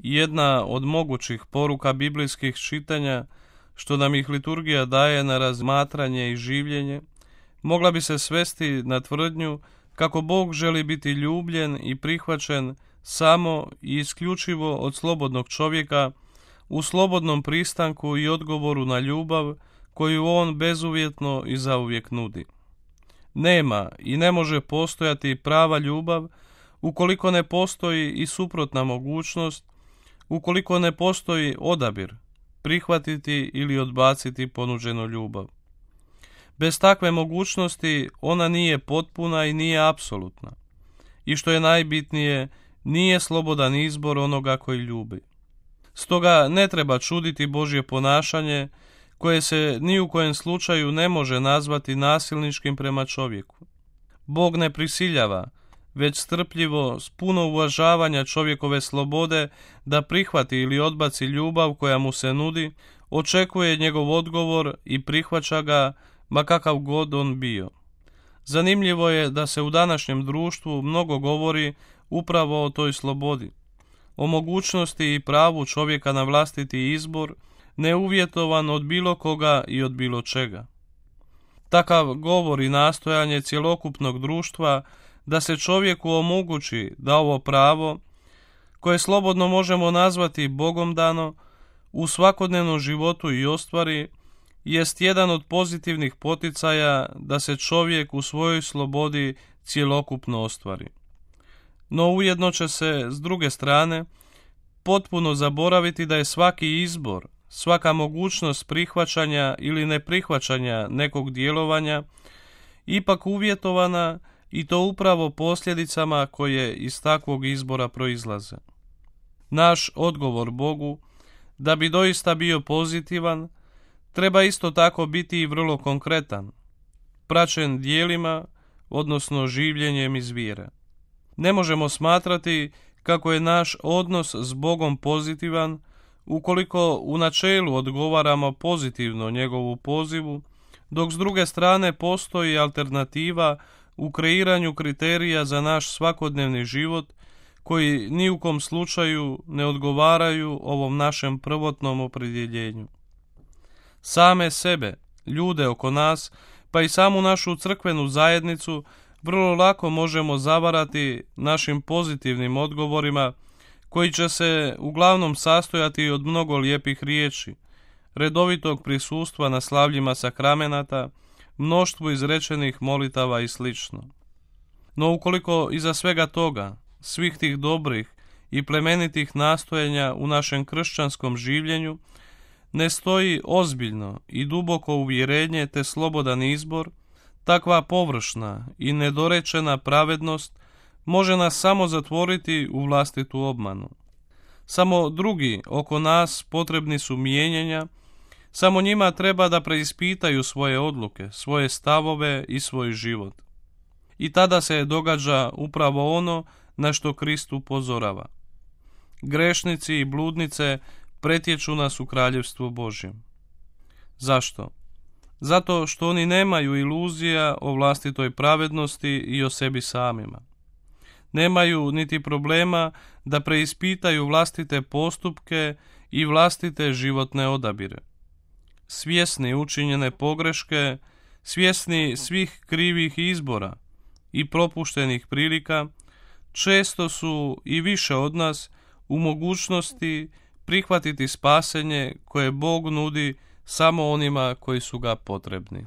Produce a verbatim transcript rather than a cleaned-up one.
Jedna od mogućih poruka biblijskih čitanja, što nam ih liturgija daje na razmatranje i življenje, mogla bi se svesti na tvrdnju kako Bog želi biti ljubljen i prihvaćen samo i isključivo od slobodnog čovjeka u slobodnom pristanku i odgovoru na ljubav koju on bezuvjetno i zauvijek nudi. Nema i ne može postojati prava ljubav ukoliko ne postoji i suprotna mogućnost, ukoliko ne postoji odabir, prihvatiti ili odbaciti ponuđenu ljubav. Bez takve mogućnosti ona nije potpuna i nije apsolutna. I što je najbitnije, nije slobodan izbor onoga koji ljubi. Stoga ne treba čuditi Božje ponašanje, koje se ni u kojem slučaju ne može nazvati nasilničkim prema čovjeku. Bog ne prisiljava, već strpljivo, s puno uvažavanja čovjekove slobode da prihvati ili odbaci ljubav koja mu se nudi, očekuje njegov odgovor i prihvaća ga, ma kakav god on bio. Zanimljivo je da se u današnjem društvu mnogo govori upravo o toj slobodi, o mogućnosti i pravu čovjeka na vlastiti izbor, neuvjetovan od bilo koga i od bilo čega. Takav govor i nastojanje cjelokupnog društva da se čovjeku omogući da ovo pravo, koje slobodno možemo nazvati Bogom dano, u svakodnevnom životu i ostvari, jest jedan od pozitivnih poticaja da se čovjek u svojoj slobodi cjelokupno ostvari. No ujedno će se, s druge strane, potpuno zaboraviti da je svaki izbor, svaka mogućnost prihvaćanja ili neprihvaćanja nekog djelovanja ipak uvjetovana, i to upravo posljedicama koje iz takvog izbora proizlaze. Naš odgovor Bogu, da bi doista bio pozitivan, treba isto tako biti i vrlo konkretan, praćen djelima, odnosno življenjem iz vjere. Ne možemo smatrati kako je naš odnos s Bogom pozitivan ukoliko u načelu odgovaramo pozitivno njegovu pozivu, dok s druge strane postoji alternativa u kreiranju kriterija za naš svakodnevni život koji ni u kom slučaju ne odgovaraju ovom našem prvotnom opredjeljenju. Same sebe, ljude oko nas, pa i samu našu crkvenu zajednicu vrlo lako možemo zavarati našim pozitivnim odgovorima koji će se uglavnom sastojati od mnogo lijepih riječi, redovitog prisustva na slavljima sakramenata, mnoštvu izrečenih molitava i sl. No ukoliko iza svega toga, svih tih dobrih i plemenitih nastojanja u našem kršćanskom življenju, ne stoji ozbiljno i duboko uvjerenje te slobodan izbor, takva površna i nedorečena pravednost može nas samo zatvoriti u vlastitu obmanu. Samo drugi oko nas potrebni su mijenjanja, samo njima treba da preispitaju svoje odluke, svoje stavove i svoj život. I tada se događa upravo ono na što Krist upozorava. Grešnici i bludnice pretječu nas u kraljevstvo Božjem. Zašto? Zato što oni nemaju iluzija o vlastitoj pravednosti i o sebi samima. Nemaju niti problema da preispitaju vlastite postupke i vlastite životne odabire. Svjesni učinjene pogreške, svjesni svih krivih izbora i propuštenih prilika, često su i više od nas u mogućnosti prihvatiti spasenje koje Bog nudi samo onima koji su ga potrebni.